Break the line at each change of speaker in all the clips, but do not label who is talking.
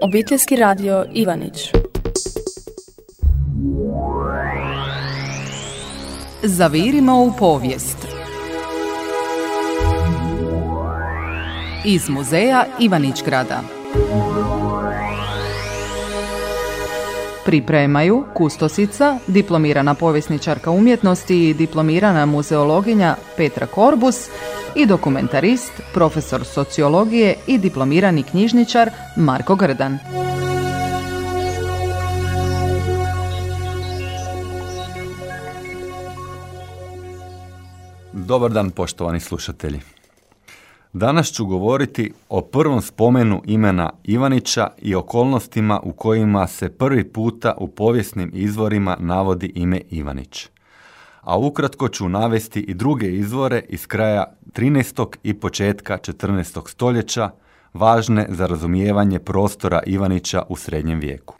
Obiteljski radio Ivanić.
Zavirimo u povijest. Iz muzeja Ivanić-Grada. Pripremaju kustosica, diplomirana povjesničarka umjetnosti i diplomirana muzeologinja Petra Korbus i dokumentarist, profesor sociologije i diplomirani knjižničar Marko Grdan.
Dobar dan, poštovani slušatelji. Danas ću govoriti o prvom spomenu imena Ivanića i okolnostima u kojima se prvi puta u povijesnim izvorima navodi ime Ivanić. A ukratko ću navesti i druge izvore iz kraja 13. i početka 14. stoljeća, važne za razumijevanje prostora Ivanića u srednjem vijeku.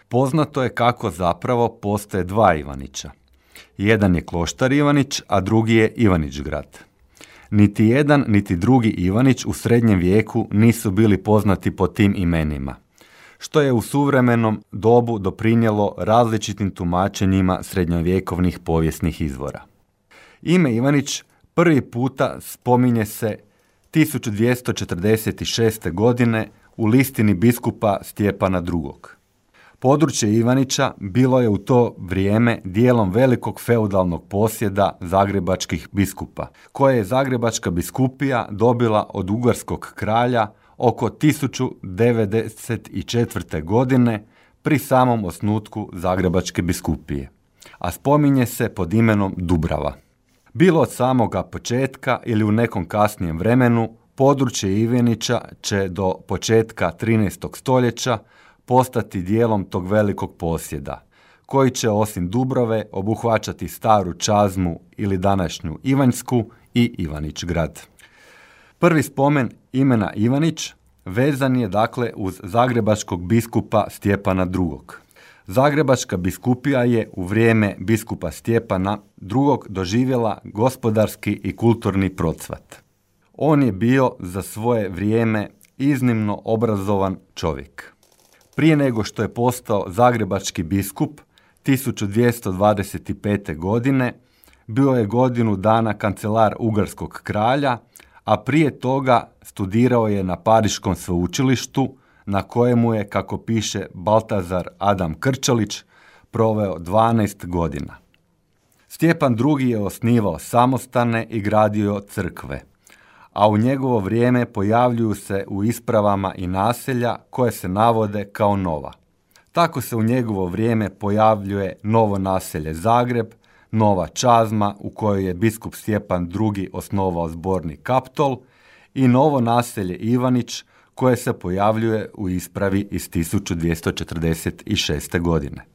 Poznato je kako zapravo postoje dva Ivanića. Jedan je kloštar Ivanić, a drugi je Ivanić-Grad. Niti jedan, niti drugi Ivanić u srednjem vijeku nisu bili poznati po tim imenima, što je u suvremenom dobu doprinijelo različitim tumačenjima srednjovjekovnih povijesnih izvora. Ime Ivanić prvi puta spominje se 1246. godine u listini biskupa Stjepana II. Područje Ivanića bilo je u to vrijeme dijelom velikog feudalnog posjeda zagrebačkih biskupa, koje je Zagrebačka biskupija dobila od ugarskog kralja oko 1094. godine pri samom osnutku Zagrebačke biskupije, a spominje se pod imenom Dubrava. Bilo od samoga početka ili u nekom kasnijem vremenu, područje Ivanića će do početka 13. stoljeća postati dijelom tog velikog posjeda, koji će osim Dubrave obuhvaćati Staru Čazmu ili današnju Ivanjsku i Ivanić-Grad. Prvi spomen imena Ivanić vezan je dakle uz zagrebačkog biskupa Stjepana II. Zagrebačka biskupija je u vrijeme biskupa Stjepana II. Doživjela gospodarski i kulturni procvat. On je bio za svoje vrijeme iznimno obrazovan čovjek. Prije nego što je postao zagrebački biskup 1225. godine, bio je godinu dana kancelar ugarskog kralja, a prije toga studirao je na Pariškom sveučilištu, na kojemu je, kako piše Baltazar Adam Krčelić, proveo 12 godina. Stjepan II. Je osnivao samostane i gradio crkve, a u njegovo vrijeme pojavljuju se u ispravama i naselja koje se navode kao nova. Tako se u njegovo vrijeme pojavljuje novo naselje Zagreb, Nova Čazma u kojoj je biskup Stjepan II. Osnovao zborni Kaptol i novo naselje Ivanić koje se pojavljuje u ispravi iz 1246. godine.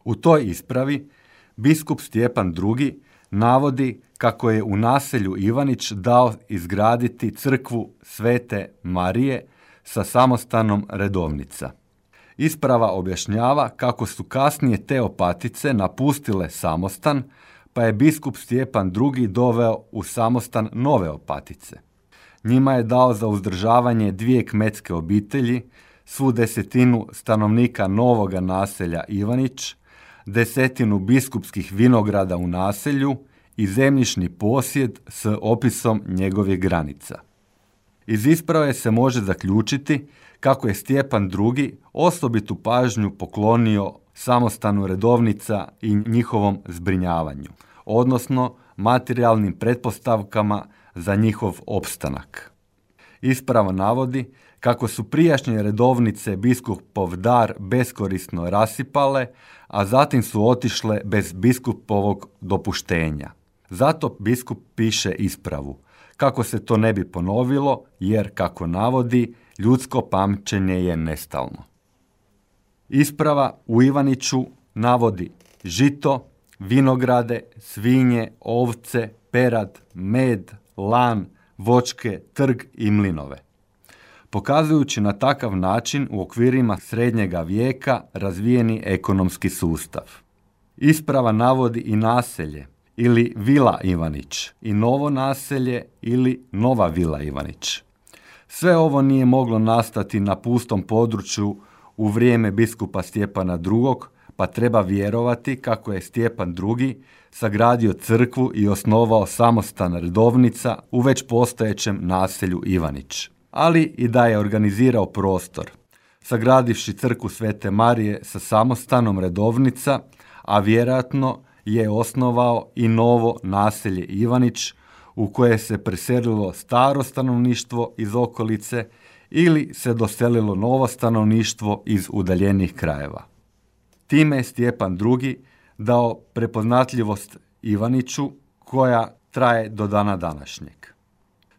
U toj ispravi biskup Stjepan II. Navodi kako je u naselju Ivanić dao izgraditi crkvu Svete Marije sa samostanom Redovnica. Isprava objašnjava kako su kasnije te opatice napustile samostan, pa je biskup Stjepan II. Doveo u samostan nove opatice. Njima je dao za uzdržavanje 2 kmetske obitelji, svu 10 stanovnika novoga naselja Ivanić, 10 biskupskih vinograda u naselju i zemljišni posjed s opisom njegovih granica. Iz isprave se može zaključiti kako je Stjepan II. Osobitu pažnju poklonio samostanu Redovnica i njihovom zbrinjavanju, odnosno materijalnim pretpostavkama za njihov opstanak. Isprava navodi kako su prijašnje redovnice biskupov dar beskorisno rasipale, a zatim su otišle bez biskupovog dopuštenja. Zato biskup piše ispravu, kako se to ne bi ponovilo, jer, kako navodi, ljudsko pamćenje je nestalno. Isprava u Ivaniću navodi žito, vinograde, svinje, ovce, perad, med, lan, voćke, trg i mlinove, pokazujući na takav način u okvirima srednjega vijeka razvijeni ekonomski sustav. Isprava navodi i naselje ili Vila Ivanić i novo naselje ili Nova Vila Ivanić. Sve ovo nije moglo nastati na pustom području u vrijeme biskupa Stjepana II, pa treba vjerovati kako je Stjepan II sagradio crkvu i osnovao samostan Redovnica u već postojećem naselju Ivanić, ali i da je organizirao prostor, sagradivši crkvu Svete Marije sa samostanom Redovnica, a vjerojatno je osnovao i novo naselje Ivanić u koje se preselilo staro stanovništvo iz okolice ili se doselilo novo stanovništvo iz udaljenih krajeva. Time je Stjepan II dao prepoznatljivost Ivaniću koja traje do dana današnjeg.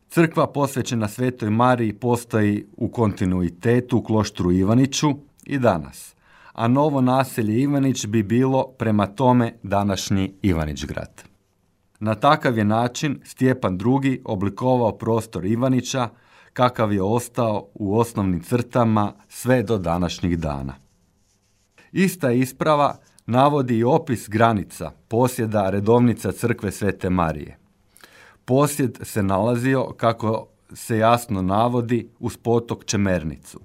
Crkva posvećena Svetoj Mariji postoji u kontinuitetu u kloštru Ivaniću i danas, a novo naselje Ivanić bi bilo prema tome današnji Ivanić-grad. Na takav je način Stjepan II oblikovao prostor Ivanića kakav je ostao u osnovnim crtama sve do današnjih dana. Ista isprava navodi i opis granica posjeda Redovnica crkve Svete Marije. Posjed se nalazio, kako se jasno navodi, uz potok Čemernicu.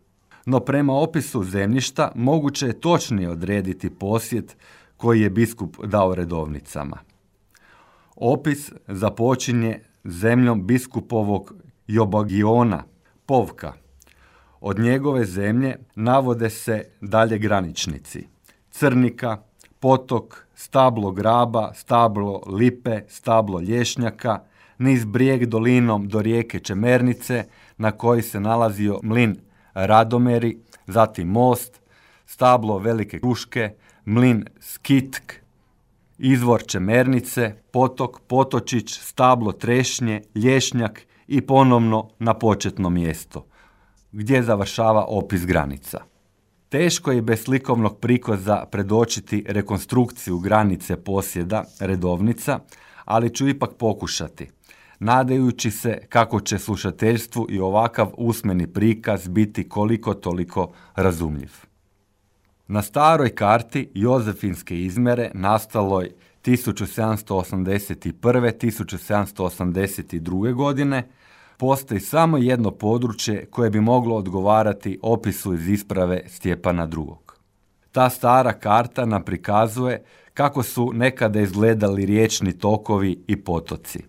No prema opisu zemljišta moguće je točnije odrediti posjed koji je biskup dao Redovnicama. Opis započinje zemljom biskupovog Jobagiona, Povka. Od njegove zemlje navode se dalje graničnici: Crnika, Potok, stablo Graba, stablo Lipe, stablo Lješnjaka, niz brijeg dolinom do rijeke Čemernice na koji se nalazio mlin Radomeri, zatim most, stablo Velike Kruške, mlin Skitk, izvor Čemernice, potok Potočić, stablo Trešnje, Lješnjak i ponovno na početno mjesto, gdje završava opis granica. Teško je bez slikovnog prikaza predočiti rekonstrukciju granice posjeda Redovnica, ali ću ipak pokušati, nadajući se kako će slušateljstvu i ovakav usmeni prikaz biti koliko toliko razumljiv. Na staroj karti Jozefinske izmjere nastaloj 1781-1782. godine postoji samo jedno područje koje bi moglo odgovarati opisu iz isprave Stjepana II. Ta stara karta nam prikazuje kako su nekada izgledali riječni tokovi i potoci.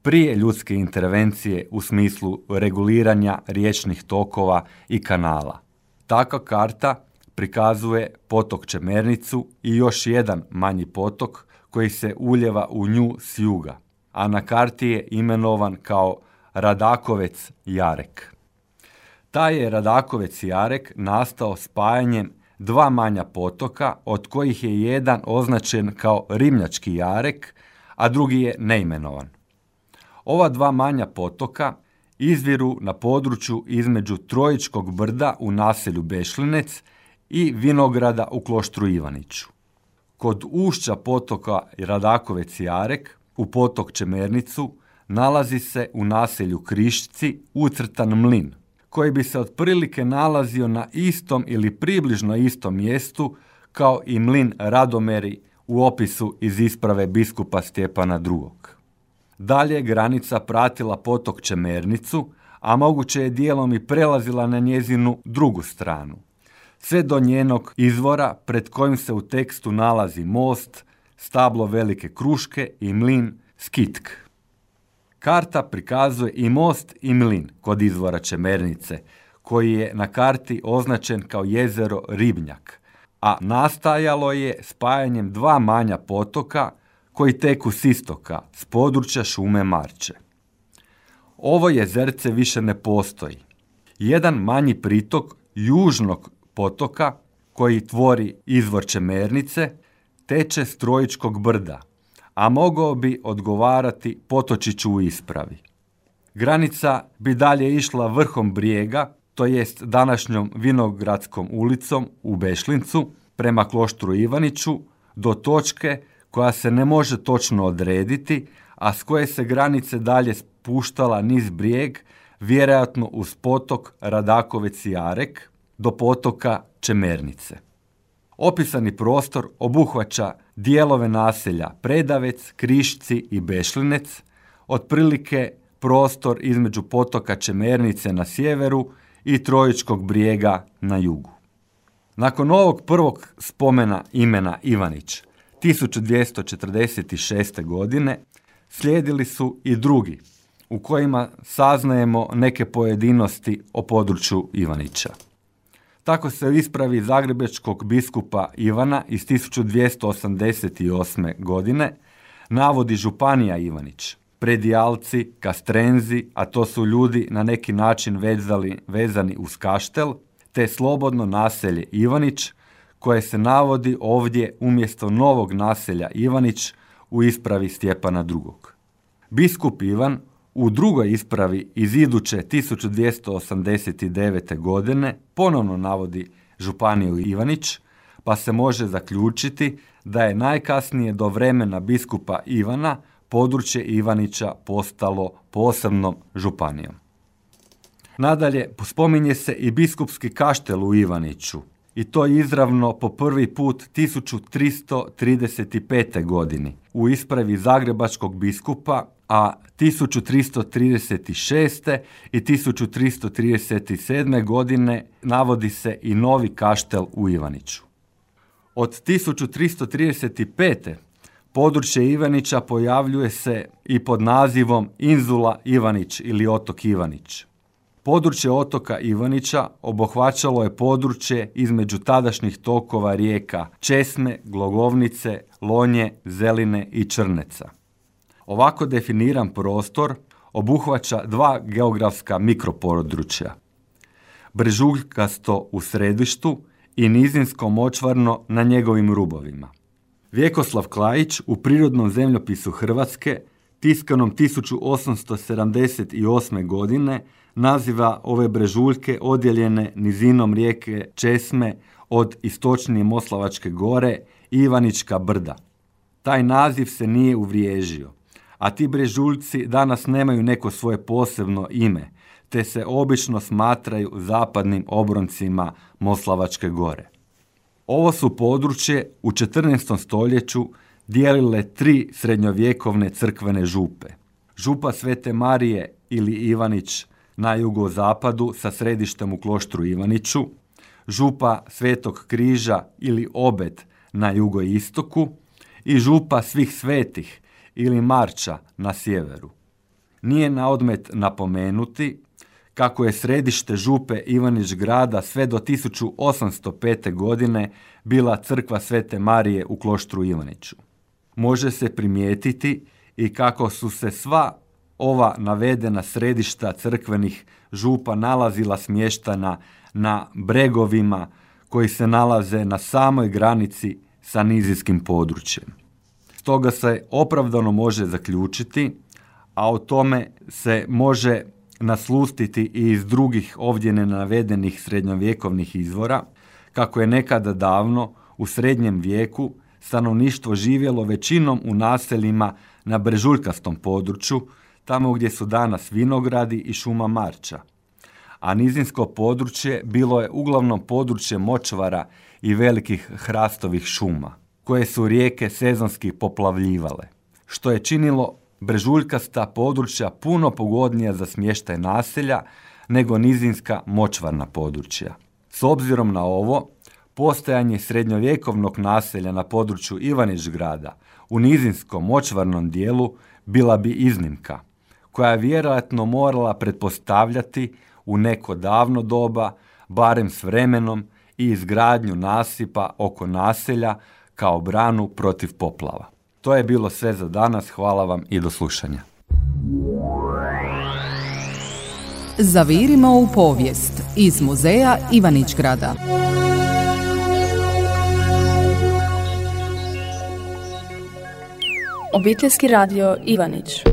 Prije ljudske intervencije u smislu reguliranja riječnih tokova i kanala. Takva karta prikazuje potok Čemernicu i još jedan manji potok koji se uljeva u nju s juga, a na karti je imenovan kao Radakovec Jarek. Taj je Radakovec Jarek nastao spajanjem dva manja potoka, od kojih je jedan označen kao Rimljački Jarek, a drugi je neimenovan. Ova dva manja potoka izviru na području između Trojičkog brda u naselju Bešlinec i vinograda u kloštru Ivaniću. Kod ušća potoka Radakovec Jarek u potok Čemernicu nalazi se u naselju Krišci ucrtan mlin, koji bi se otprilike nalazio na istom ili približno istom mjestu kao i mlin Radomeri u opisu iz isprave biskupa Stjepana II. Dalje je granica pratila potok Čemernicu, a moguće je dijelom i prelazila na njezinu drugu stranu, sve do njenog izvora pred kojim se u tekstu nalazi most, stablo Velike Kruške i mlin Skitk. Karta prikazuje i most i mlin kod izvora Čemernice, koji je na karti označen kao jezero Ribnjak, a nastajalo je spajanjem dva manja potoka koji teku s istoka, s područja šume Marče. Ovo jezerce više ne postoji. Jedan manji pritok južnog potoka koji tvori izvor Čemernice teče s Trojičkog brda, a mogao bi odgovarati Potočiću u ispravi. Granica bi dalje išla vrhom brijega, to jest današnjom Vinogradskom ulicom u Bešlincu, prema kloštru Ivaniću, do točke koja se ne može točno odrediti, a s koje se granice dalje spuštala niz brijeg, vjerojatno uz potok Radakovec Jarek, do potoka Čemernice. Opisani prostor obuhvaća dijelove naselja Predavec, Krišci i Bešlinec, otprilike prostor između potoka Čemernice na sjeveru i Trojičkog brijega na jugu. Nakon ovog prvog spomena imena Ivanić 1246. godine slijedili su i drugi u kojima saznajemo neke pojedinosti o području Ivanića. Tako se u ispravi zagrebačkog biskupa Ivana iz 1288. godine navodi županija Ivanić, predijalci, kastrenzi, a to su ljudi na neki način vezani uz kaštel, te slobodno naselje Ivanić, koje se navodi ovdje umjesto novog naselja Ivanić u ispravi Stjepana II. Biskup Ivan u drugoj ispravi iz iduće 1289. godine ponovno navodi županiju Ivanić, pa se može zaključiti da je najkasnije do vremena biskupa Ivana područje Ivanića postalo posebnom županijom. Nadalje, spominje se i biskupski kaštel u Ivaniću, i to izravno po prvi put 1335. godini u ispravi zagrebačkog biskupa, a 1336. i 1337. godine navodi se i novi kaštel u Ivaniću. Od 1335. područje Ivanića pojavljuje se i pod nazivom Inzula Ivanić ili otok Ivanić. Područje otoka Ivanića obuhvaćalo je područje između tadašnjih tokova rijeka Česme, Glogovnice, Lonje, Zeline i Črneca. Ovako definiran prostor obuhvaća dva geografska mikropodručja. Brežuljkasto u središtu i nizinsko močvarno na njegovim rubovima. Vjekoslav Klajić u Prirodnom zemljopisu Hrvatske tiskanom 1878. godine naziva ove brežuljke odjeljene nizinom rijeke Česme od istočnije Moslavačke gore Ivanička brda. Taj naziv se nije uvriježio, a ti brežuljci danas nemaju neko svoje posebno ime, te se obično smatraju zapadnim obroncima Moslavačke gore. Ovo su područje u 14. stoljeću dijelile tri srednjovjekovne crkvene župe. Župa Svete Marije ili Ivanić na jugozapadu sa središtem u kloštru Ivaniću, župa Svetog Križa ili Obed na jugoistoku i župa Svih svetih ili Marča na sjeveru. Nije na odmet napomenuti kako je središte župe Ivanić grada sve do 1805. godine bila crkva Svete Marije u kloštru Ivaniću. Može se primijetiti i kako su se sva ova navedena središta crkvenih župa nalazila smještena na bregovima koji se nalaze na samoj granici sa nizinskim područjem. Stoga se opravdano može zaključiti, a o tome se može naslutiti i iz drugih ovdje nenavedenih srednjovjekovnih izvora, kako je nekada davno u srednjem vijeku stanovništvo živjelo većinom u naseljima na brežuljkastom području, tamo gdje su danas vinogradi i šuma Marča. A nizinsko područje bilo je uglavnom područje močvara i velikih hrastovih šuma, koje su rijeke sezonski poplavljivale, što je činilo brežuljkasta područja puno pogodnija za smještaj naselja nego nizinska močvarna područja. S obzirom na ovo, postojanje srednjovjekovnog naselja na području Ivanić grada u nizinskom močvarnom dijelu bila bi iznimka, koja je vjerojatno morala pretpostavljati u neko davno doba, barem s vremenom, i izgradnju nasipa oko naselja kao branu protiv poplava. To je bilo sve za danas, hvala vam i do slušanja.
Zavirimo u povijest iz muzeja Ivanić grada.
Obiteljski radio Ivanić.